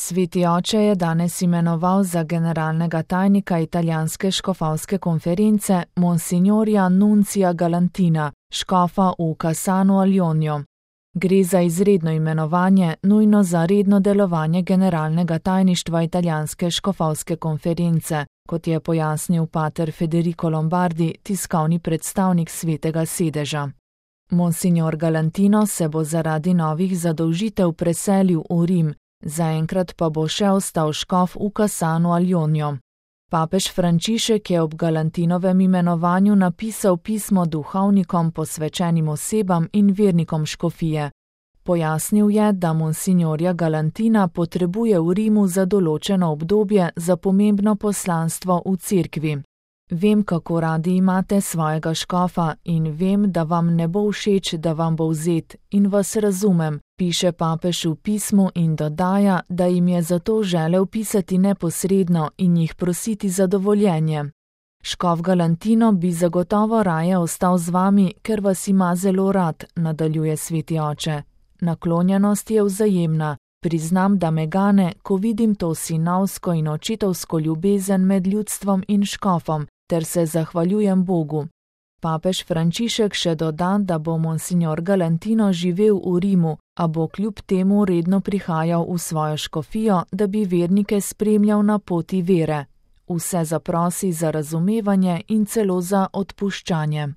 Sveti oče je danes imenoval za generalnega tajnika italijanske škofovske konference Monsignorja Nunzia Galantina, škofa v Cassano al Ionio. Gre za izredno imenovanje, nujno za redno delovanje generalnega tajništva italijanske škofovske konference, kot je pojasnil pater Federico Lombardi, tiskovni predstavnik Svetega sedeža. Monsignor Galantino se bo zaradi novih zadolžitev preselil v Rim, zaenkrat pa bo še ostal škof v Cassano al Ionio. Papež Frančišek je ob Galantinovem imenovanju napisal pismo duhovnikom, posvečenim osebam in vernikom škofije. Pojasnil je, da monsignorja Galantina potrebuje v Rimu za določeno obdobje za pomembno poslanstvo v cerkvi. Vem, kako radi imate svojega škofa in vem, da vam ne bo všeč, da vam bo vzet, in vas razumem, piše papež v pismu in dodaja, da jim je zato želel pisati neposredno in jih prositi za dovoljenje. Škof Galantino bi zagotovo raje ostal z vami, ker vas ima zelo rad, nadaljuje sveti oče. Naklonjenost je vzajemna. Priznam, da me gane, ko vidim to sinovsko in očetovsko ljubezen med ljudstvom in škofom, ter se zahvaljujem Bogu. Papež Frančišek še doda, da bo monsignor Galantino živel v Rimu, a bo kljub temu redno prihajal v svojo škofijo, da bi vernike spremljal na poti vere. Vse zaprosi za razumevanje in celo za odpuščanje.